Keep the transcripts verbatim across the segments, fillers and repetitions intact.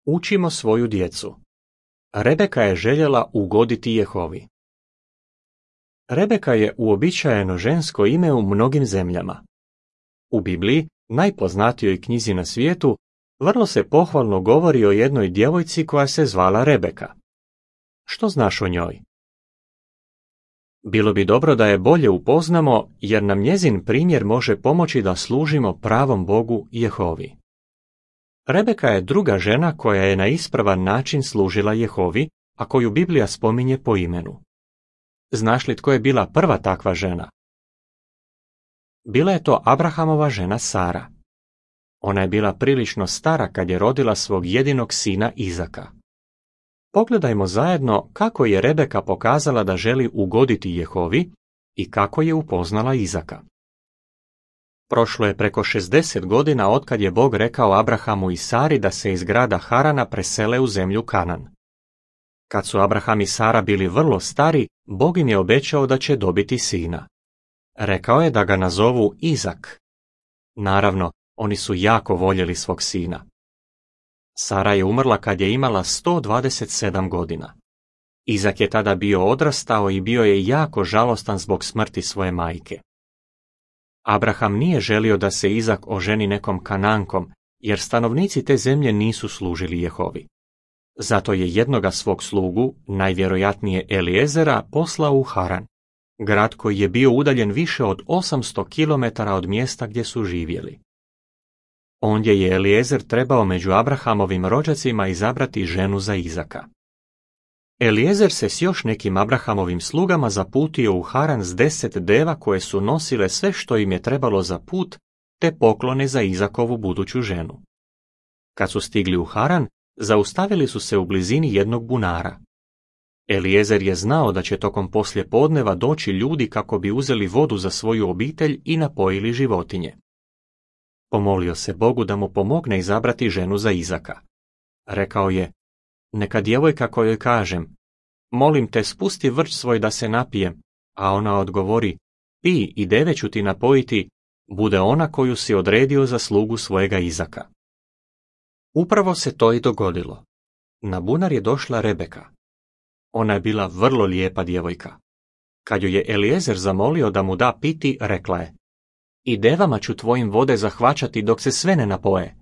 Učimo svoju djecu. Rebeka je željela ugoditi Jehovi. Rebeka je uobičajeno žensko ime u mnogim zemljama. U Bibliji, najpoznatijoj knjizi na svijetu, vrlo se pohvalno govori o jednoj djevojci koja se zvala Rebeka. Što znaš o njoj? Bilo bi dobro da je bolje upoznamo, jer nam njezin primjer može pomoći da služimo pravom Bogu Jehovi. Rebeka je druga žena koja je na ispravan način služila Jehovi, a koju Biblija spominje po imenu. Znaš li tko je bila prva takva žena? Bila je to Abrahamova žena Sara. Ona je bila prilično stara kad je rodila svog jedinog sina Izaka. Pogledajmo zajedno kako je Rebeka pokazala da želi ugoditi Jehovi i kako je upoznala Izaka. Prošlo je preko šezdeset godina otkad je Bog rekao Abrahamu i Sari da se iz grada Harana presele u zemlju Kanan. Kad su Abraham i Sara bili vrlo stari, Bog im je obećao da će dobiti sina. Rekao je da ga nazovu Izak. Naravno, oni su jako voljeli svog sina. Sara je umrla kad je imala sto dvadeset sedam godina. Izak je tada bio odrastao i bio je jako žalostan zbog smrti svoje majke. Abraham nije želio da se Izak oženi nekom Kanankom, jer stanovnici te zemlje nisu služili Jehovi. Zato je jednoga svog slugu, najvjerojatnije Eliezera, poslao u Haran, grad koji je bio udaljen više od osamsto kilometara od mjesta gdje su živjeli. Ondje je Eliezer trebao među Abrahamovim rođacima izabrati ženu za Izaka. Eliezer se s još nekim Abrahamovim slugama zaputio u Haran s deset deva koje su nosile sve što im je trebalo za put, te poklone za Izakovu buduću ženu. Kad su stigli u Haran, zaustavili su se u blizini jednog bunara. Eliezer je znao da će tokom poslijepodneva doći ljudi kako bi uzeli vodu za svoju obitelj i napojili životinje. Pomolio se Bogu da mu pomogne izabrati ženu za Izaka. Rekao je, neka djevojka kojoj kažem, molim te spusti vrč svoj da se napijem, a ona odgovori, pij i deve ću ti napojiti, bude ona koju si odredio za slugu svojega Izaka. Upravo se to i dogodilo. Na bunar je došla Rebeka. Ona je bila vrlo lijepa djevojka. Kad ju je Eliezer zamolio da mu da piti, rekla je, i devama ću tvojim vode zahvaćati dok se sve ne napoje.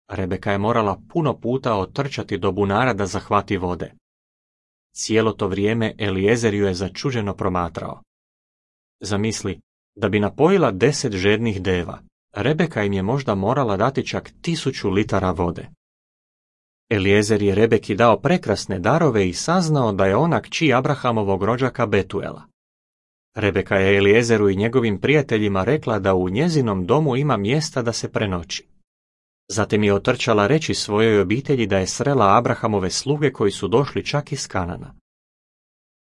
Rebeka je morala puno puta otrčati do bunara da zahvati vode. Cijelo to vrijeme Eliezer ju je začuđeno promatrao. Zamisli, da bi napojila deset žednih deva, Rebeka im je možda morala dati čak tisuću litara vode. Eliezer je Rebeki dao prekrasne darove i saznao da je ona kći Abrahamovog rođaka Betuela. Rebeka je Eliezeru i njegovim prijateljima rekla da u njezinom domu ima mjesta da se prenoći. Zatim je otrčala reći svojoj obitelji da je srela Abrahamove sluge koji su došli čak iz Kanana.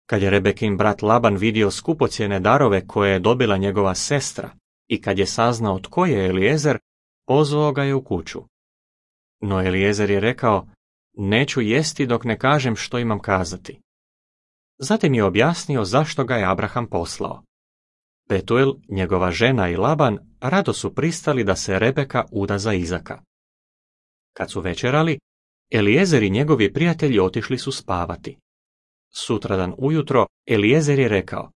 Kad je Rebekin brat Laban vidio skupocjene darove koje je dobila njegova sestra i kad je saznao tko je Eliezer, pozvao ga je u kuću. No Eliezer je rekao, neću jesti dok ne kažem što imam kazati. Zatim je objasnio zašto ga je Abraham poslao. Betuel, njegova žena i Laban rado su pristali da se Rebeka uda za Izaka. Kad su večerali, Eliezer i njegovi prijatelji otišli su spavati. Sutradan ujutro Eliezer je rekao,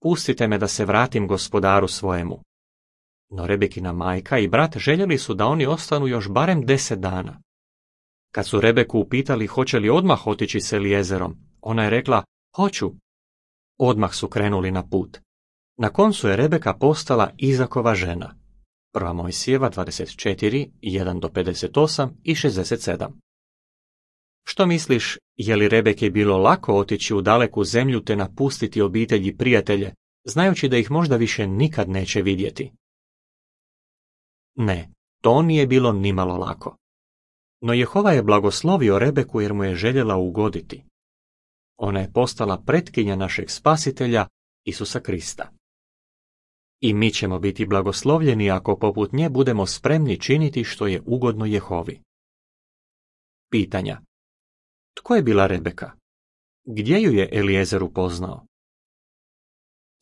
pustite me da se vratim gospodaru svojemu. No Rebekina majka i brat željeli su da oni ostanu još barem deset dana. Kad su Rebeku upitali hoće li odmah otići s Eliezerom, ona je rekla, hoću. Odmah su krenuli na put. Na koncu je Rebeka postala Izakova žena. Prva Mojsijeva dvadeset četiri, jedan do pedeset osam i šezdeset sedam. Što misliš, je li Rebeki bilo lako otići u daleku zemlju te napustiti obitelj i prijatelje, znajući da ih možda više nikad neće vidjeti? Ne, to nije bilo nimalo lako. No Jehova je blagoslovio Rebeku jer mu je željela ugoditi. Ona je postala pretkinja našeg spasitelja, Isusa Krista. I mi ćemo biti blagoslovljeni ako poput nje budemo spremni činiti što je ugodno Jehovi. Pitanja. Tko je bila Rebeka? Gdje ju je Eliezer upoznao?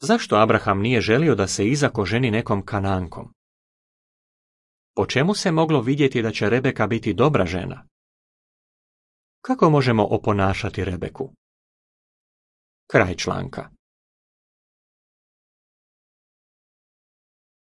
Zašto Abraham nije želio da se Izak oženi nekom Kanankom? Po čemu se moglo vidjeti da će Rebeka biti dobra žena? Kako možemo oponašati Rebeku? Kraj članka.